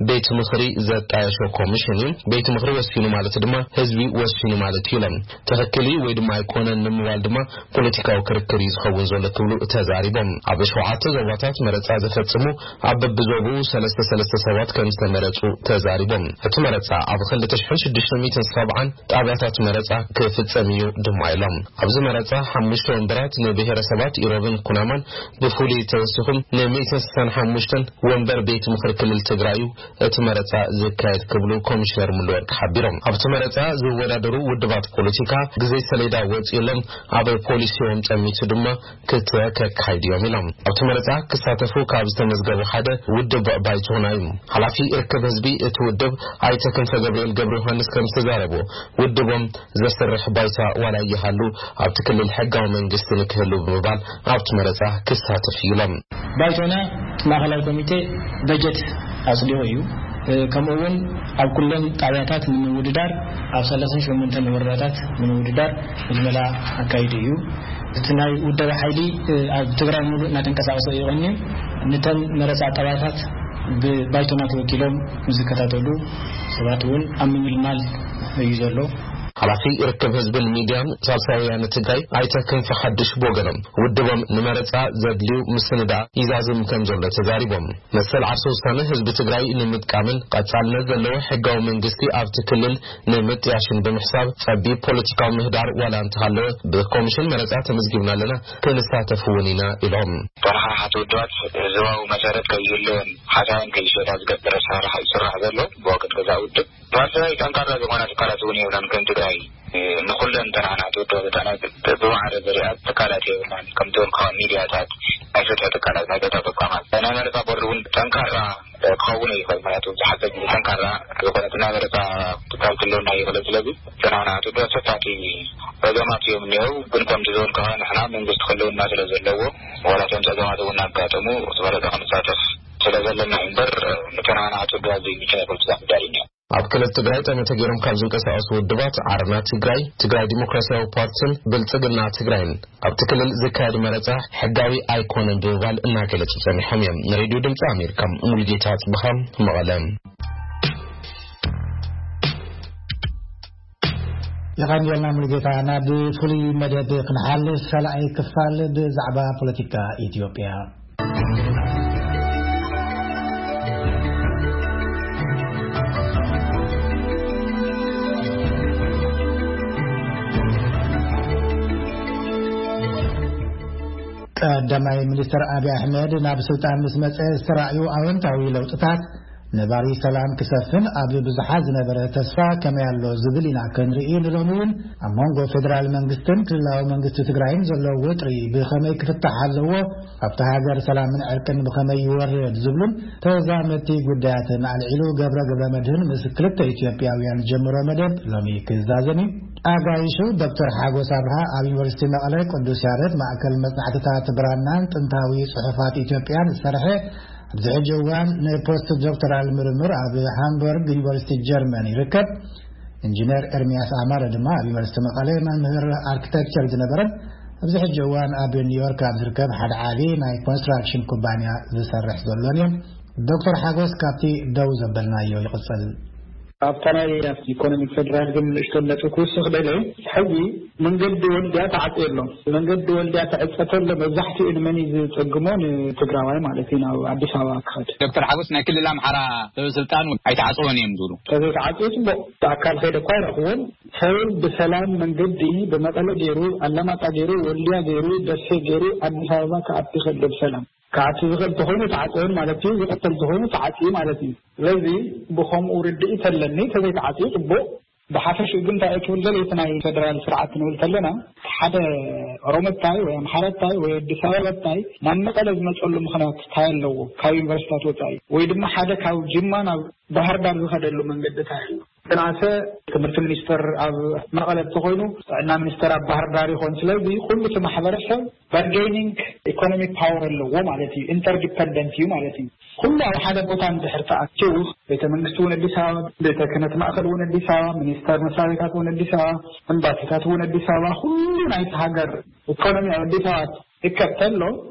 ቤት ምኽሪ ዘጣየሾ ኮሚሽን እዩ። ቤት ምኽሪ ወሲኑ ማለት ድማ ህዝቢ ወሲኑ ማለት እዩ ኢሎም። ትኽክል እዩ ወይ ድማ ኣይኮነን ንምባል ድማ ፖለቲካዊ ክርክር እዩ ዝኸውን ዘሎ ክብሉ ተዛሪቦም። ኣብ ሸውዓተ ዞባታት መረጻ ዘፈጽሙ ኣብ በብዞብኡ ሰለስተ ሰለስተ ሰባት ከም ዝተመረጹ ተዛሪቦም። እቲ መረጻ ኣብ ክልተ ሽሕን ሽዱሽተ ሚእትን ሰብዓን ጣብያታት መረጻ ክፍጸም እዩ ድማ ኢሎም። ኣብዚ መረጻ ሓሙሽተ ወንበራት ንብሔረሰባት ኢሮብን ኩናማን ብፍሉይ ተወሲኹም ንሚእትን ስሳን ሓሙሽተን ወንበር ቤት ምኽሪ ክልል ትግራይ እዩ እቲ መረጻ ዝካየድ ክብሉ ኮሚሽነር ሙሉወርቅ ሓቢሮም። ኣብቲ መረጻ ዝወዳደሩ ውድባት ፖለቲካ ግዜ ሰሌዳ ወጺኡሎም ኣብ ፖሊሲኦም ጠሚቱ ድማ ክተከካይድዮም ኢሎም። ኣብቲ መረጻ ክሳተፉ ካብ ዝተመዝገቡ ሓደ ውድብ ባይቶና እዩ። ሓላፊ ርክብ ህዝቢ እቲ ውድብ ኣይተ ክንፈ ገብርኤል ገብረ ዮሃንስ ከም ዝተዛረቡ፣ ውድቦም ዘስርሕ ባይታ ዋላ ይሃሉ ኣብቲ ክልል ሕጋዊ መንግስቲ ንክህሉ ብምባል ኣብቲ መረጻ ክሳተፍ እዩ ኢሎም። ባይቶና ማእኸላዊ ኮሚቴ በጀት ኣጽዲቑ እዩ። ከምኡ እውን ኣብ ኩለን ጣብያታት ንምውድዳር ኣብ ሰላሳን ሸሞንተን ወረዳታት ንምውድዳር ምልመላ ኣካይዱ እዩ። እቲ ናይ ውደባ ሓይሊ ኣብ ትግራይ ሙሉእ እናተንቀሳቐሰ እዩ ቀኒዩ። ንተን መረፃ ጣብያታት ብባይቶና ተወኪሎም ዝከታተሉ ሰባት እውን ኣብ ምምልማል እዩ ዘሎ። ሓላፊ ርክብ ህዝብን ሚድያን ሳልሳይ ወያነ ትግራይ ኣይተ ክንፈ ሓድሽ ብወገኖም፣ ውድቦም ንመረፃ ዘድልዩ ምስንዳ ይዛዝም ከም ዘሎ ተዛሪቦም። መሰል ዓርሰ ውሳነ ህዝቢ ትግራይ ንምጥቃምን ቀፃልነት ዘለዎ ሕጋዊ መንግስቲ ኣብቲ ክልል ንምጥያሽን ብምሕሳብ፣ ፀቢብ ፖለቲካዊ ምህዳር ዋላ እንተሃለወ፣ ብኮሚሽን መረፃ ተመዝጊብና ኣለና፣ ክንሳተፍ እውን ኢና ኢሎም። ተረሓሓቲ ውድባት ህዝባዊ መሰረት ከይህልወን ሓሳብን ከይሸጣ ዝገብር ኣሰራርሓ ይስራሕ ዘሎ ብወገን ገዛ ውድብ። ብሳልሳይ፣ ጠንካራ ዝኾና ትካላት እውን የብላን። ከም ትግራይ ንኩለን ተናሓናሕቲ ውድባት ተናግድ ብማዕረ ዘሪኣ ትካላት የብልናን። ከምቲ ወልቃዊ ሚድያታት፣ ናይ ፍትሒ ትካላት፣ ናይ ጸጥታ ተቋማት፣ ናይ መረፃ ቦርድ እውን ጠንካራ ክኸውን ይኽእል። ምክንያቱ ብዙሓት ሰብ ጠንካራ ዝኾነ ናይ መረፃ ትካል ክህልወና ይኽእል። ስለዚ እተን ናናቱ ዶ ሰፋቲ ረገማት እዮም እኒአው። ግን ከምቲ ዝበልካ ንሕና መንግስቲ ክህልውና ስለ ዘለዎ፣ ዋላ እቶም ፀገማት እውን ኣጋጠሙ፣ እቲ መረፃ ክንሳተፍ ስለ ዘለና እምበር፣ እተን ናናቱ ዶ ኣብዚ ምክንያት ፖለቲካ ጉዳይ እዩ። ኣብ ክልል ትግራይ ጠመተ ገይሮም ካብ ዝንቀሳቐሱ ውድባት ዓረና ትግራይ፣ ትግራይ ዲሞክራሲያዊ ፓርቲን ብልጽግና ትግራይን ኣብቲ ክልል ዝካየድ መረጻ ሕጋዊ ኣይኮነን ብምባል እናገለጹ ጸኒሖም እዮም። ንሬድዮ ድምጺ ኣሜሪካ ሙሉጌታ ጽብሃ መቐለ። የቐንየልና ሙሉጌታ። ናብ ፍሉይ መደብ ክንሓልፍ፣ ካልኣይ ክፋል ብዛዕባ ፖለቲካ ኢትዮጵያ። ቀዳማይ ሚኒስትር ኣብይ ኣሕመድ ናብ ስልጣን ምስ መጸ ዝተራእዩ ኣወንታዊ ለውጥታት ነባሪ ሰላም ክሰፍን ኣብ ብዙሓት ዝነበረ ተስፋ ከመይ ኣሎ ዝብል ኢና ክንርኢ። ንሎሚ እውን ኣብ መንጎ ፌደራል መንግስትን ክልላዊ መንግስቲ ትግራይን ዘሎ ወጥሪ ብኸመይ ክፍታሕ ኣለዎ፣ ኣብታ ሃገር ሰላምን ዕርቅን ብኸመይ ይወርድ ዝብሉን ተዛመድቲ ጉዳያትን ኣልዒሉ ገብረ ገብረ መድህን ምስ ክልተ ኢትዮጵያውያን ዝጀመሮ መደብ ሎሚ ክዛዘም እዩ። ኣጋይሹ ዶክተር ሓጎስ ኣብርሃ ኣብ ዩኒቨርሲቲ መቐለ ቅዱስ ያሬድ ማእከል መጽናዕትታት ብራናን ጥንታዊ ጽሑፋት ኢትዮጵያን ዝሰርሐ፣ ኣብዚ ሕጂ እዋን ንፖስት ዶክተራል ምርምር ኣብ ሃምበርግ ዩኒቨርሲቲ ጀርመን ይርከብ። ኢንጂነር ኤርሚያስ ኣማረ ድማ ኣብ ዩኒቨርሲቲ መቐለ መምህር ኣርኪቴክቸር ዝነበረን ኣብዚ ሕጂ እዋን ኣብ ኒውዮርክ ኣብ ዝርከብ ሓደ ዓቢ ናይ ኮንስትራክሽን ኩባንያ ዝሰርሕ ዘሎን እዮም። ዶክተር ሓጎስ ካብቲ ደው ዘበልናዮ ይቕጽል። ኣብታ ናይ ኢኮኖሚክ ፌደራሊዝም ንእሽቶ ነጥቢ ክውስኽ ደለ፣ ሕጂ መንገዲ ወልድያ ተዓጽዩ ኣሎ። መንገዲ ወልድያ ተዕጸ ተሎ መብዛሕትኡ ንመን እዩ ዝጸግሞ? ንትግራዋይ ማለት እዩ፣ ናብ ኣዲስ ኣበባ ክኸድ። ዶክተር ሓጎስ ናይ ክልል ኣምሓራ ሰበ ስልጣን ኣይተዓጽወን እዮም ዝብሉ። ተዘይተዓጽዩ ጽቡቕ፣ ብኣካል ከይደ እኳ ኣይረኽቦን። ሰብ ብሰላም መንገዲ ብመቐለ ገይሩ፣ ኣላማጣ ገይሩ፣ ወልድያ ገይሩ፣ ደሴ ገይሩ ኣዲስ ኣበባ ክኣቱ ይኽእል ብሰላም። ክኣቱ ዝኽእል ተኾይኑ ተዓጽዮን ማለት እዩ፣ ዝቕተል ተኾይኑ ተዓጽዩ ማለት እዩ። ስለዚ ብኸምኡ ርድኢት ኣለኒ፣ ተዘይተዓጽዩ ጽቡቕ። ብሓፈሽኡ ግን እንታይ እዩ ክብል ደልየ፣ እቲ ናይ ፌደራል ስርዓት ክንብል ከለና፣ ሓደ ኦሮሞ እንታይ ወይ ኣምሓራ እንታይ ወይ ኣዲስ ኣበባ እንታይ ናብ መቐለ ዝመፀሉ ምኽንያት እንታይ ኣለዎ? ካብ ዩኒቨርሲታት ወፃኢ ወይ ድማ ሓደ ካብ ጅማ ናብ ባህር ዳር ዝኸደሉ መንገዲ እንታይ ኣሎ? ተናሰ ትምህርቲ ሚኒስተር ኣብ መቐለ እንተኾይኑ፣ ጥዕና ሚኒስተር ኣብ ባህር ዳር ይኾን። ስለዚ ኩሉ እቲ ማሕበረሰብ ባርጌኒንግ ኢኮኖሚክ ፓወር ኣለዎ ማለት እዩ፣ ኢንተርዲፐንደንት እዩ ማለት እዩ። ኩሉ ኣብ ሓደ ቦታ እንድሕር ተኣኪቡ፣ ቤተ መንግስቲ እውን ኣዲስ ኣበባ፣ ቤተ ክህነት ማእከል እውን ኣዲስ ኣበባ፣ ሚኒስተር መስሪያ ቤታት እውን ኣዲስ ኣበባ፣ ኤምባሲታት እውን ኣዲስ ኣበባ፣ ኩሉ ናይቲ ሃገር ኢኮኖሚ ኣብ ኣዲስ ኣበባ ይከብ ተሎ፣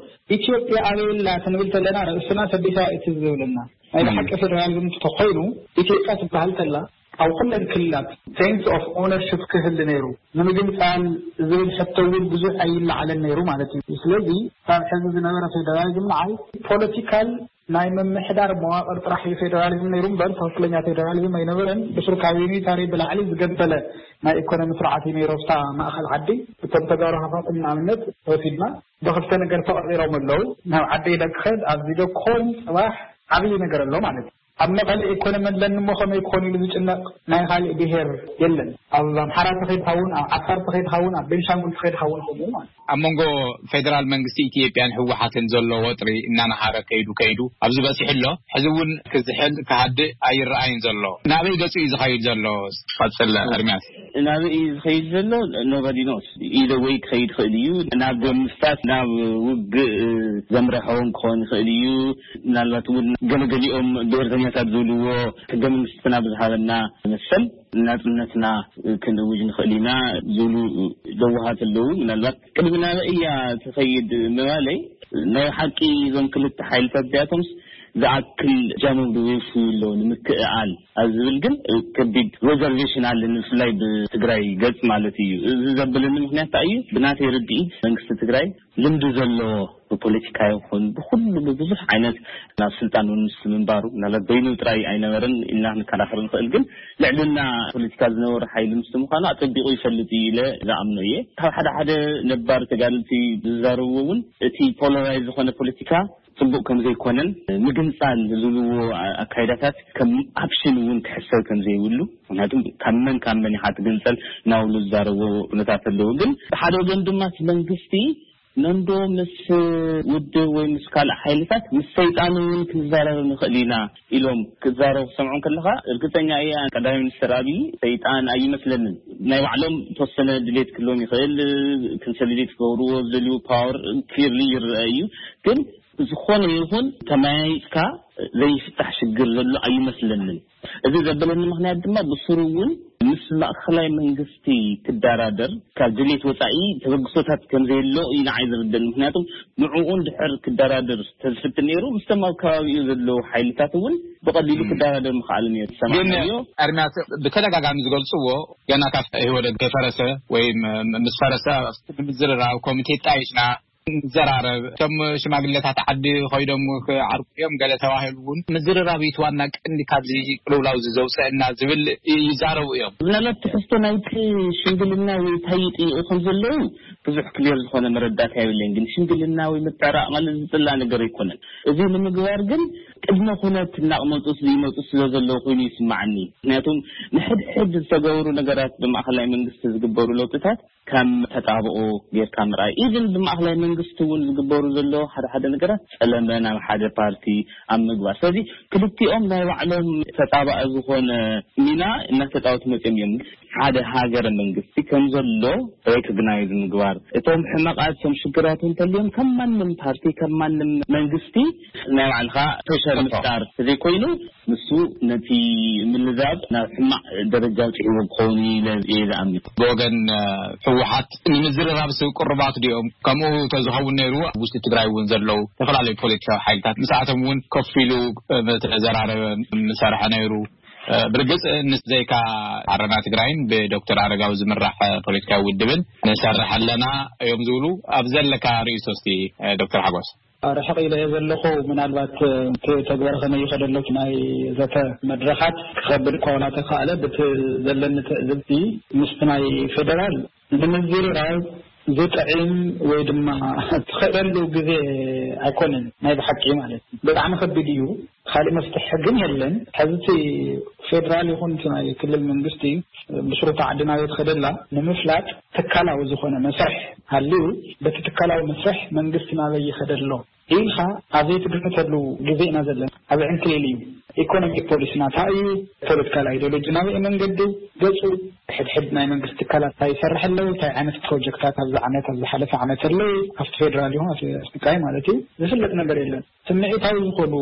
ኢትዮጵያ ኣበይ ኣላ ክንብል ተለና ርእስና ኣዲስ ኣበባ እዩ ትዝ ዝብለና። ናይ ብሓቂ ፌደራሊዝም እንተኾይኑ፣ ኢትዮጵያ ትበሃል ተላ ኣብ ኩለን ክልላት ሴንስ ኦፍ ኦነርሽፕ ክህሊ ነይሩ። ንምግንፃል ዝብል ሕቶ እውን ብዙሕ ኣይለዓለን ነይሩ ማለት እዩ። ስለዚ ካብ ሕዚ ዝነበረ ፌደራሊዝም ንዓይ ፖለቲካል ናይ ምምሕዳር መዋቕር ጥራሕ እዩ ፌደራሊዝም ነይሩ እምበር ትኽክለኛ ፌደራሊዝም ኣይነበረን። ብሱር ካብ ዩኒታሪ ብላዕሊ ዝገበለ ናይ ኢኮኖሚ ስርዓት እዩ ነይሩ። ኣብታ ማእኸል ዓዲ እቶም ተጋሩ ሃፋትም ንኣብነት ወሲድና ብክልተ ነገር ተቐፂሮም ኣለዉ። ናብ ዓዲ ኢለ ክኸድ ኣብዚ ዶ ክኾን ፅባሕ ዓብዪ ነገር ኣሎ ማለት እዩ። ኣብ መቐለ ኢኮኖሚ ኣለኒ እሞ ከመይ ክኾን ኢሉ ዝጭነቕ ናይ ካልእ ብሄር የለን። ኣብ ኣምሓራ ተኸይድ ሃውን፣ ኣብ ዓፋር ተኸይድ ሃውን፣ ኣብ ቤንሻንጉል ተኸይድ ሃውን ከምኡ ማለት እዩ። ኣብ መንጎ ፌደራል መንግስቲ ኢትዮጵያን ህወሓትን ዘሎ ወጥሪ እናነሃረ ከይዱ ከይዱ ኣብዚ በፂሑ ኣሎ። ሕዚ እውን ክዝሕል ክሃድእ ኣይረኣይን ዘሎ። ናበይ ገፁ እዩ ዝኸይድ ዘሎ? ክቐፅል ኤርሚያስ። ናበይ እዩ ዝኸይድ ዘሎ? ኖባዲ ኖስ። ኢለ ወይ ክኸይድ ይኽእል እዩ፣ ናብ ደም ምፍሳስ፣ ናብ ውግእ ዘምርሖ እውን ክኸውን ይኽእል እዩ። ምናልባት እውን ገለገሊኦም ብሄርተኛታት ዝብልዎ፣ ሕገ መንግስትና ብዝሃበና መሰል ናጽነትና ክንእውጅ ንኽእል ኢና ዝብሉ ለዋሃት ኣለዉ። ምናልባት ቅድሚ ናበይ እያ ትኸይድ ምባለይ፣ ናይ ሓቂ እዞም ክልተ ሓይልታት እዚኣቶምስ ዝኣክል እጃሞም ዶ የፍርዩ ኣለዉ ንምክእኣል ኣብ ዝብል ግን ከቢድ ሬዘርቬሽን ኣለኒ፣ ብፍላይ ብትግራይ ገጽ ማለት እዩ። እዚ ዘብለኒ ምኽንያት እንታይ እዩ? ብናተይ ርድኢት መንግስቲ ትግራይ ልምዲ ዘለዎ ብፖለቲካ ይኹን ብኹሉ ብብዙሕ ዓይነት ናብ ስልጣን እውን ምስ ምንባሩ፣ ምናልባት በይኑ ጥራይ ኣይነበረን ኢልና ክንከራኸር ንኽእል፣ ግን ልዕልና ፖለቲካ ዝነበሩ ሓይሊ ምስ ምዃኑ ኣጸቢቑ ይፈልጥ እዩ ኢለ ዝኣምኖ እየ። ካብ ሓደ ሓደ ነባር ተጋደልቲ ዝዛረብዎ እውን እቲ ፖላራይዝ ዝኾነ ፖለቲካ ጽቡቕ ከም ዘይኮነን ምግንጻል ዝብልዎ ኣካይዳታት ከም ኣፕሽን እውን ክሕሰብ ከም ዘይብሉ፣ ምክንያቱም ካብ መን ካብ መን ኢኻ ትግንጸል እናብሉ ዝዛረብዎ ኩነታት ኣለዉ። ግን ብሓደ ወገን ድማ እቲ መንግስቲ ነንዶ ምስ ውድብ ወይ ምስ ካልእ ሓይልታት ምስ ሰይጣን እውን ክንዛረብ ንኽእል ኢና ኢሎም ክዛረቡ ክሰምዖም ከለኻ፣ እርግጠኛ እየ ቀዳማይ ሚኒስትር ኣብይ ሰይጣን ኣይመስለንን። ናይ ባዕሎም ተወሰነ ድሌት ክህልዎም ይኽእል፣ ኮንሶሊዴት ክገብርዎ ዝደልዩ ፓወር ክሊርሊ ይረአ እዩ። ግን ዝኾነ ይኹን ተመያይጥካ ዘይፍታሕ ሽግር ዘሎ ኣይመስለንን። እዚ ዘበለኒ ምኽንያት ድማ ብስሩ እውን ምስ ማእኸላይ መንግስቲ ክደራደር ካብ ድሌት ወፃኢ ተበግሶታት ከም ዘየሎ እዩ ንዓይ ዝርደን። ምክንያቱም ንዕኡ እንድሕር ክደራደር ተዝፍትን ነይሩ፣ ምስቶም ኣብ ከባቢኡ ዘለዉ ሓይልታት እውን ብቐሊሉ ክደራደር ምኽኣል ነይሩ። ግን ሰማዕናዮ። ኣርሚያት ብተደጋጋሚ ዝገልፅዎ ገና ካብ ህወደት ከይፈረሰ ወይ ም- ምስ ፈረሰ ንምዝርራብ ኮሚቴ ጣይሽና ንዘራረብ፣ እቶም ሽማግሌታት ዓዲ ኮይዶም ክዓርቁ እዮም ገለ ተባሂሉ እውን ምዝርራብ እዩ ዋና ቀንዲ ካብዚ ቅልውላው እዚ ዘውፀአና ዝብል ይዛረቡ እዮም። ምናልባት ትሕዝቶ ናይቲ ሽምግልና ወይ እንታይ ይጥይቁ ከም ዘለዉ ብዙሕ ክሊር ዝኾነ መረዳእታ የብለይን። ግን ሽምግልና ወይ ምትዕራቕ ማለት ዝፅላእ ነገር ኣይኮነን። እዚ ንምግባር ግን ቅድመ ኩነት እናቕመጡ ይመፁ ስለ ዘለዉ ኮይኑ ይስማዓኒ። ምክንያቱም ንሕድሕድ ዝተገብሩ ነገራት ብማእኸላይ መንግስቲ ዝግበሩ ለውጥታት ከም ተጣብኦ ጌርካ ምርኣይ፣ ኢቭን ብማእኸላይ መንግስቲ እውን ዝግበሩ ዘለዉ ሓደ ሓደ ነገራት ፀለመ ናብ ሓደ ፓርቲ ኣብ ምግባር። ስለዚ ክልቲኦም ናይ ባዕሎም ተጣባኢ ዝኾነ ሚና እናተፃወቱ መፅዮም እዮም። ሓደ ሃገረ መንግስቲ ከም ዘሎ ሬኮግናይዝ ምግባር፣ እቶም ሕመቃት እቶም ሽግራት እንተልዮም ከም ማንም ፓርቲ ከም ማንም መንግስቲ ናይ ባዕልካ ፕሬሸር ምፍጣር ዘይኮይኑ ንሱ ነቲ ምልዛብ ናብ ሕማቕ ደረጃ ኣብፂሕዎ ክኸውን ኢለ እየ ዝኣምን። ብወገን ህወሓት ንምዝርራብ ስብ ቅሩባት ድኦም? ከምኡ ተዝኸውን ነይሩ ኣብ ውሽጢ ትግራይ እውን ዘለዉ ዝተፈላለዩ ፖለቲካዊ ሓይልታት ምስኣቶም እውን ኮፍ ኢሉ ምተዘራረበ ምሰርሐ ነይሩ። ብርግፅ ንዘይካ ዓረና ትግራይን ብዶክተር ኣረጋዊ ዝምራሕ ፖለቲካዊ ውድብን ንሰርሕ ኣለና እዮም ዝብሉ። ኣብ ዘለካ ርእይቶ እስቲ ዶክተር ሓጎስ። ርሕቕ ኢለ እየ ዘለኹ። ምናልባት እቲ ተግባር ከመይ ይኸደሎ ናይ ዘተ መድረኻት ክኸብድ እኳ ዋላ ተኻእለ፣ ብቲ ዘለኒ ትዕዝብቲ ምስቲ ናይ ፌደራል ንምዝርራብ ዝጥዕም ወይ ድማ ትኸደሉ ግዜ ኣይኮነን። ናይ ብሓቂ ማለት እዩ ብጣዕሚ ከቢድ እዩ። ካልእ መፍትሒ ግን የለን። ሕዚ እቲ ፌደራል ይኹን እቲ ናይ ክልል መንግስቲ ብስሩታ ዓዲ ናበይ ትኸደላ ንምፍላጥ ትካላዊ ዝኾነ መስርሕ ሃልዩ፣ በቲ ትካላዊ መስርሕ መንግስቲ ናበይ ይኸደ ኣሎ ኢልካ ኣብ ዘይትግምተሉ ግዜ ኢና ዘለና። ኣብ ዕንክሊል እዩ። ኢኮኖሚክ ፖሊሲ ናታ እዩ፣ ፖለቲካል ኣይዲዮሎጂ ናበይ መንገዲ ገጹ፣ ሕድሕድ ናይ መንግስቲ ትካላት እንታይ ይሰርሕ ኣለዉ፣ እንታይ ዓይነት ፕሮጀክታት ኣብዚ ዓመት፣ ኣብ ዝሓለፈ ዓመት ኣለዉ፣ ኣብቲ ፌደራል ይኹን ኣብቲ ትግራይ ማለት እዩ፣ ዝፍለጥ ነገር የለን። ስምዒታዊ ዝኾኑ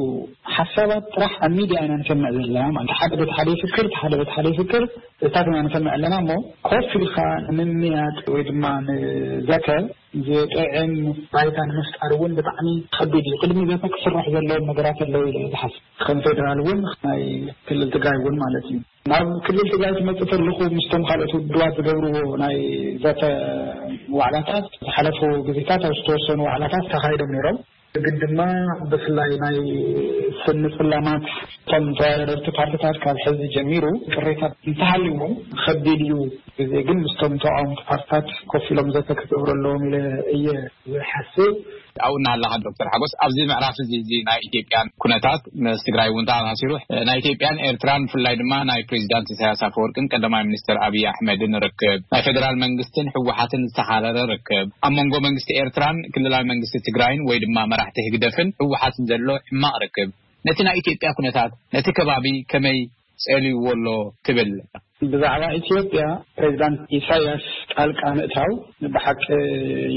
ሓሳባት ጥራሕ ኣብ ሚድያ ኢና ንሰምዕ ዘለና ማለት፣ ሓደ በቲ ሓደ ይፍክር፣ እቲ ሓደ በቲ ሓደ ይፍክር፣ እዚታት ኢና ንሰምዕ ኣለና። እሞ ኮፍ ኢልካ ንምምያጥ ወይ ድማ ንዘተ ዝጥዕም ባይታ ንምፍጣር እውን ብጣዕሚ ከቢድ እዩ። ቅድሚ ዘተ ክስራሕ ዘለዎም ነገራት ኣለዉ ኢለ እየ ዝሓስብ። ከም ፌደራል እውን ናይ ክልል ትግራይ እውን ማለት እዩ። ናብ ክልል ትግራይ ክመፅእ ከለኹ ምስቶም ካልኦት ውድባት ዝገብርዎ ናይ ዘተ ዋዕላታት ዝሓለፉ ግዜታት ኣብ ዝተወሰኑ ዋዕላታት ተኻይዶም ነይሮም። ግን ድማ ብፍላይ ናይ ስኒ ፅላማት እቶም ተወዳደርቲ ፓርቲታት ካብ ሕዚ ጀሚሩ ቅሬታ እንተሃልዎም ከቢድ እዩ። ግዜ ግን ምስቶም ተቃወምቲ ፓርቲታት ኮፍ ኢሎም ዘተ ክገብሩ ኣለዎም ኢለ እየ ዝሓስብ። ኣብኡ እናሃለኻ ዶክተር ሓጎስ፣ ኣብዚ ምዕራፍ እዚ እዚ ናይ ኢትዮጵያን ኩነታት ምስ ትግራይ እውን ተኣሳሲሩ፣ ናይ ኢትዮጵያን ኤርትራን ብፍላይ ድማ ናይ ፕሬዚዳንት ኢሳያስ ኣፈወርቅን ቀዳማይ ሚኒስትር ኣብይ ኣሕመድን ርክብ፣ ናይ ፌደራል መንግስትን ህወሓትን ዝተኻረረ ርክብ፣ ኣብ መንጎ መንግስቲ ኤርትራን ክልላዊ መንግስቲ ትግራይን ወይ ድማ መራሕቲ ህግደፍን ህወሓትን ዘሎ ሕማቕ ርክብ ነቲ ናይ ኢትዮጵያ ኩነታት ነቲ ከባቢ ከመይ ጸልይዎ ኣሎ ትብል? ብዛዕባ ኢትዮጵያ ፕሬዚዳንት ኢሳያስ ጣልቃ ምእታው ብሓቂ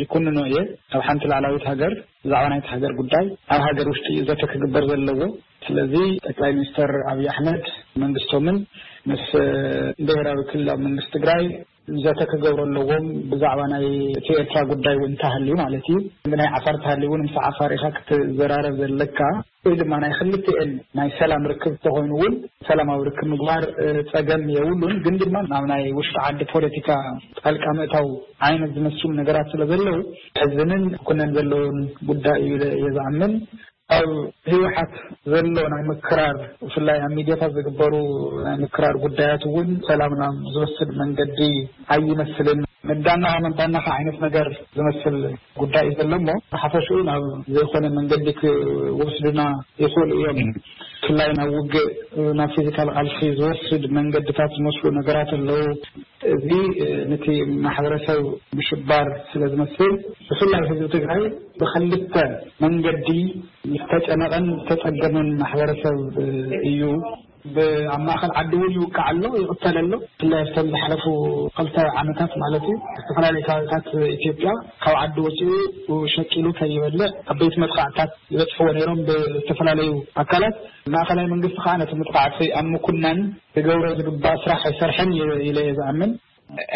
ይኩንኖ እየ። ኣብ ሓንቲ ላዕላዊት ሃገር ብዛዕባ ናይቲ ሃገር ጉዳይ ኣብ ሃገር ውሽጢ እዩ ዘተ ክግበር ዘለዎ። ስለዚ ጠቅላይ ሚኒስትር ኣብይ ኣሕመድ መንግስቶምን ምስ ብሄራዊ ክልላዊ መንግስቲ ትግራይ ዘተ ክገብሩ ኣለዎም። ብዛዕባ ናይ እቲ ኤርትራ ጉዳይ እውን እንተሃልዩ ማለት እዩ፣ ብናይ ዓፋር እንተሃልዩ እውን ምስ ዓፋር ኢኻ ክትዘራረብ ዘለካ ወይ ድማ ናይ ክልቲኤን ናይ ሰላም ርክብ እንተኾይኑ እውን ሰላማዊ ርክብ ምግባር እ፣ ጸገም የብሉን። ግን ድማ ናብ ናይ ውሽጢ ዓዲ ፖለቲካ ጣልቃ ምእታው ዓይነት ዝመስሉ ነገራት ስለ ዘለዉ ሕዝንን ክኩነን ዘለዎን ጉዳይ እዩ ኢለ እየ ዝኣምን። ኣብ ህወሓት ዘሎ ናይ ምክራር ብፍላይ ኣብ ሚድያታት ዝግበሩ ናይ ምክራር ጉዳያት እውን ሰላም ናብ ዝወስድ መንገዲ ኣይመስልን። ምዳናኻ ምዳናኻ ዓይነት ነገር ዝመስል ጉዳይ እዩ ዘሎ እሞ ብሓፈሽኡ ናብ ዘይኮነ መንገዲ ክወስዱና ይኽእሉ እዮም። ብፍላይ ናብ ውግእ ናብ ፊዚካል ቃልሲ ዝወስድ መንገድታት ዝመስሉ ነገራት ኣለዉ። እዚ ነቲ ማሕበረሰብ ምሽባር ስለ ዝመስል፣ ብፍላይ ህዝቢ ትግራይ ብክልተ መንገዲ ዝተጨነቐን ዝተጸገመን ማሕበረሰብ እዩ። ኣብ ማእኸል ዓዲ እውን ይውቃዕ ኣሎ፣ ይቕተል ኣሎ። ብፍላይ ኣብተን ዝሓለፉ ክልተ ዓመታት ማለት እዩ፣ ዝተፈላለዩ ከባቢታት ኢትዮጵያ ካብ ዓዲ ወፂኡ ሸቂሉ ከይበልዕ ዓበይቲ መጥቃዕትታት ይበፅሕዎ ነይሮም ብዝተፈላለዩ ኣካላት። ማእኸላይ መንግስቲ ከዓ ነቲ መጥቃዕቲ ኣብ ምኩናን ክገብሮ ዝግባእ ስራሕ ኣይሰርሐን ኢለ እየ ዝኣምን።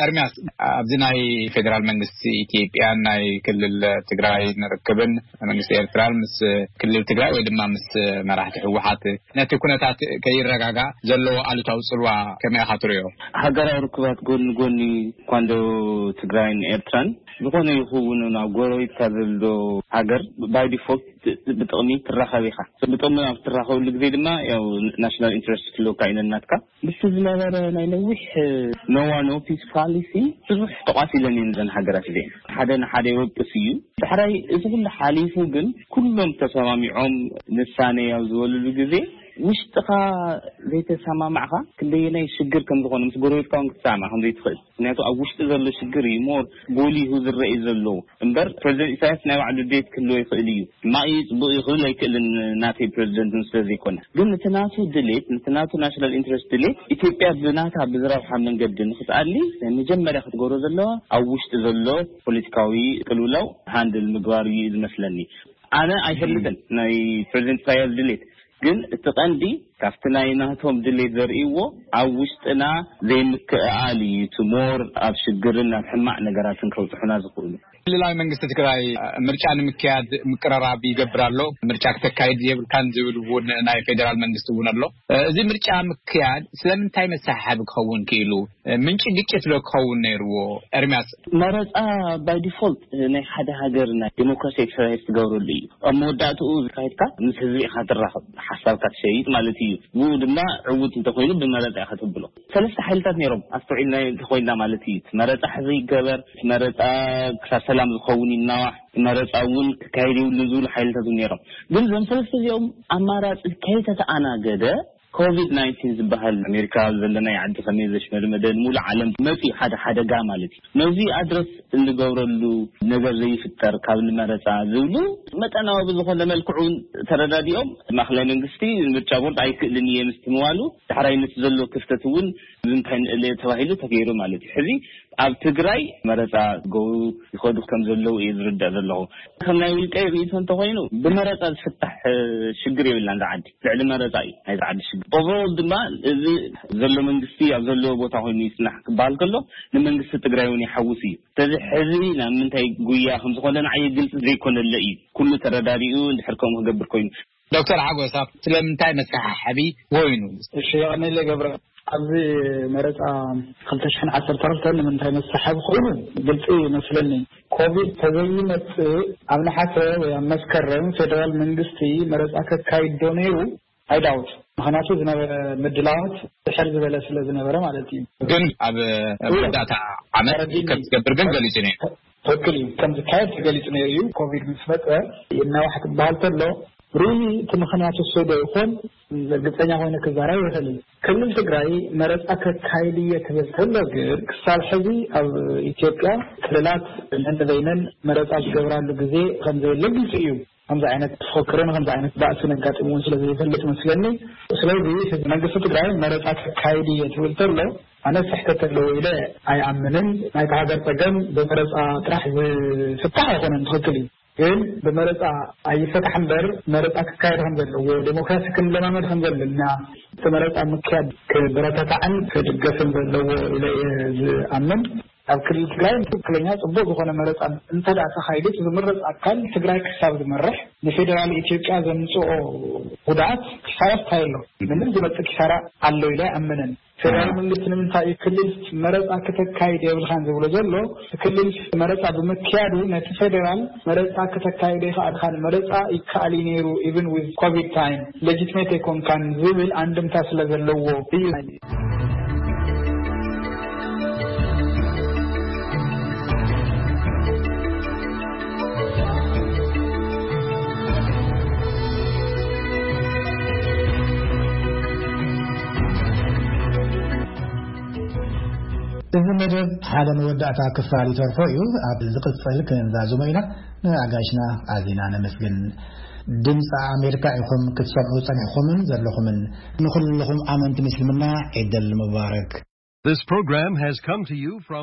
ኤርሚያስ፣ ኣብዚ ናይ ፌደራል መንግስቲ ኢትዮጵያን ናይ ክልል ትግራይ ንርክብን መንግስቲ ኤርትራን ምስ ክልል ትግራይ ወይ ድማ ምስ መራሕቲ ህወሓት ነቲ ኩነታት ከይረጋጋእ ዘለዎ ኣሉታዊ ፅልዋ ከመይ ኢኻ ትሪኦ? ሃገራዊ ርክባት ጎኒ ጎኒ ኳንዶ ትግራይን ኤርትራን ዝኾነ ይኸውን ናብ ጎረቤትካ ዘሎ ሃገር ባይ ዲፎልት ብጥቕሚ ትራኸብ ኢኻ። ብጥቕሚ ኣብ ትራኸብሉ ግዜ ድማ ያው ናሽናል ኢንትረስት ክህልወካ እዩ ነናትካ። ምስቲ ዝነበረ ናይ ነዊሕ ኖዋ ኖ ፒስ ፖሊሲ ብዙሕ ተቋሲለን እየን እዘን ሃገራት እዚአን። ሓደ ንሓደ ይወቅስ እዩ። ዳሕራይ እዚ ኩሉ ሓሊፉ ግን ኩሎም ተሰማሚዖም ንሳነ ኣብ ዝበሉሉ ግዜ ውሽጥኻ ዘይተሰማማዕካ ክንደየናይ ሽግር ከም ዝኾነ ምስ ጎረቤትካ እውን ክትሰማማዕ ከም ዘይትኽእል። ምክንያቱ ኣብ ውሽጢ ዘሎ ሽግር እዩ ሞር ጎሊሁ ዝረአ ዘሎ። እምበር ፕሬዚደንት ኢሳያስ ናይ ባዕሉ ድሌት ክህልዎ ይኽእል እዩ። ሕማቕ እዩ፣ ጽቡቕ እዩ ክብል ኣይክእልን፣ ናተይ ፕሬዚደንት ስለ ዘይኮነ። ግን ነቲ ናቱ ድሌት፣ ነቲ ናቱ ናሽናል ኢንትረስት ድሌት ኢትዮጵያ ብናታ ብዝረብሓ መንገዲ ንኽትኣሊ ናይ መጀመርያ ክትገብሮ ዘለዋ ኣብ ውሽጢ ዘሎ ፖለቲካዊ ቅልውላው ሃንድል ምግባር እዩ ዝመስለኒ። ኣነ ኣይፈልጥን ናይ ፕሬዚደንት ኢሳያስ ድሌት፣ ግን እቲ ቀንዲ ካብቲ ናይ ናቶም ድሌት ዘርእይዎ ኣብ ውሽጥና ዘይምክእኣል እዩ እቲ ሞር ኣብ ሽግርን ኣብ ሕማቕ ነገራትን ከብፅሑና ዝኽእሉ። ክልላዊ መንግስቲ ትግራይ ምርጫ ንምክያድ ምቅርራብ ይገብር ኣሎ። ምርጫ ክተካይድ የብልካን ዝብል እውን ናይ ፌዴራል መንግስቲ እውን ኣሎ። እዚ ምርጫ ምክያድ ስለምንታይ መሰሓሓቢ ክኸውን ክኢሉ? ምንጪ ግጭት ዶ ክኸውን ነይርዎ? ኤርሚያስ። መረፃ ባይ ዲፎልት ናይ ሓደ ሃገር ናይ ዲሞክራሲ ኤክሰርሳይዝ ትገብረሉ እዩ። ኣብ መወዳእትኡ ዝካየድካ ምስ ህዝቢ ኢኻ ትራኸብ፣ ሓሳብካ ትሸይጥ ማለት እዩ። ብኡ ድማ ዕውት እንተኮይኑ ብመረፃ ኢኻ ትብሎ። ሰለስተ ሓይልታት ነይሮም ኣስተውዒልና እንተኮይንና ማለት እዩ። እቲ መረፃ ሕዚ ይገበር፣ እቲ መረፃ ክሳብ ሰላም ዝኸውን ይናዋሕ፣ እቲ መረፃ እውን ክካየድ የብሉን ዝብሉ ሓይልታት እውን ነይሮም። ግን እዞም ሰለስተ እዚኦም ኣማራፂ ከይተተኣናገደ ኮቪድ ናይንቲን ዝበሃል ኣሜሪካ ዘለናይ ዓዲ ከመይ ዘሽመድመደ ንሙሉእ ዓለም መፂኡ ሓደ ሓደጋ ማለት እዩ። ነዚ ኣድረስ እንገብረሉ ነገር ዘይፍጠር ካብ ንመረፃ ዝብሉ መጠናዊ ብዝኾነ መልክዑ ተረዳዲኦም ማእኸላይ መንግስቲ ምርጫ ቦርድ ኣይክእልን እየ ምስትምባሉ ዳሕራይ ነቲ ዘሎ ክፍተት እውን ንምንታይ ንእለ ተባሂሉ ተገይሩ ማለት እዩ። ሕዚ ኣብ ትግራይ መረፃ ገው ይኸዱ ከም ዘለዉ እየ ዝርዳእ ዘለኹ። ከም ናይ ውልቀይ ርእይቶ እንተኾይኑ ብመረፃ ዝፍታሕ ሽግር የብላን እዛ ዓዲ። ልዕሊ መረፃ እዩ ናይዚ ዓዲ ሽግር። ኦቨሮል ድማ እዚ ዘሎ መንግስቲ ኣብ ዘለዎ ቦታ ኮይኑ ይፅናሕ ክበሃል ከሎ ንመንግስቲ ትግራይ እውን ይሓውስ እዩ። ስለዚ ሕዚ ናብ ምንታይ ጉያ ከም ዝኾነ ንዓየ ግልፂ ዘይኮነለ እዩ። ኩሉ ተረዳዲኡ እንድሕር ከምኡ ክገብር ኮይኑ። ዶክተር ሓጎስ፣ ኣብ ስለምንታይ መሰሓሓቢ ኮይኑ? እሺ፣ የቐነለ ገብረ። ኣብዚ መረፃ ክልተ ሽሕን ዓሰርተ ክልተን ንምንታይ መሰሓቢ ኮይኑ ግልፂ ይመስለኒ። ኮቪድ ተዘይመፅእ ኣብ ነሓሰ ወይ ኣብ መስከረም ፌደራል መንግስቲ መረፃ ከካይድ ዶ ነይሩ? ኣይዳውት። ምክንያቱ ዝነበረ ምድላዋት ድሕር ዝበለ ስለ ዝነበረ ማለት እዩ። ግን ኣብ መወዳእታ ዓመት ከም ዝገብር ግን ገሊጹ ነይሩ። ትክክል እዩ። ከም ዝካየድ ተገሊጹ ነይሩ እዩ። ኮቪድ ምስ መፀ ይናዋሕ ክበሃል ከሎ ሪሊ እቲ ምክንያት እሱ ዶ ይኾን እርግፀኛ ኮይነ ክዛረብ ይኽእል። ክልል ትግራይ መረፃ ከካይድ እየ ክብል ከሎ ግን ክሳብ ሕዚ ኣብ ኢትዮጵያ ክልላት ነንበይነን መረፃ ዝገብራሉ ግዜ ከም ዘየለ ግልፂ እዩ። ከምዚ ዓይነት ተፈክሮን ከምዚ ዓይነት ባእሲ ነጋጥም እውን ስለ ዘይፈልጥ መስለኒ። ስለዚ ህዝቢ መንግስቲ ትግራይ መረፃ ከካይድ እየ ትብል ተሎ ኣነ ስሕተት ኣለዎ ኢለ ኣይኣምንን። ናይቲ ሃገር ፀገም ብመረፃ ጥራሕ ዝፍታሕ ኣይኮነን። ትኽክል እዩ። ግን ብመረፃ ኣይፈታሕ እምበር መረፃ ክካየድ ከም ዘለዎ፣ ዴሞክራሲ ክንለማመድ ከም ዘለና፣ እቲ መረፃ ምክያድ ክበረታታዕን ክድገፍን ዘለዎ ኢለ እየ ዝኣምን። ኣብ ክልል ትግራይ ትክክለኛ ፅቡቅ ዝኾነ መረፃ እንተደኣ ተኻይዱ፣ እቲ ዝምረፅ ኣካል ትግራይ ክሳብ ዝመርሕ ንፌደራል ኢትዮጵያ ዘምፅኦ ጉድኣት ክሳብ ኣስታይ ኣሎ። ምንም ዝመፅእ ኪሳራ ኣሎ ኢለ ኣይኣምንን። ፌደራል መንግስቲ ንምንታይ እዩ ክልል መረፃ ክተካይድ የብልካን ዝብሎ ዘሎ? ክልል መረፃ ብምክያዱ ነቲ ፌደራል መረፃ ክተካይዶ ይኽኣልካን፣ መረፃ ይከኣል እዩ ነይሩ፣ even with ኮቪድ ታይም ሌጂትሜት ኣይኮንካን ዝብል ኣንድምታ ስለ ዘለዎ እዩ። እዚ መደብ ሓደ መወዳእታ ክፋል ይተርፎ እዩ። ኣብ ዝቕጽል ክንዛዝሞ ኢና። ንኣጋይሽና ኣዚና ነመስግን። ድምፂ ኣሜሪካ ኢኹም ክትሰምዑ ጸኒሕኩምን ዘለኹምን። ንኹልኹም ኣመንቲ ምስልምና ዒደል ሙባረክ። This program has come to you from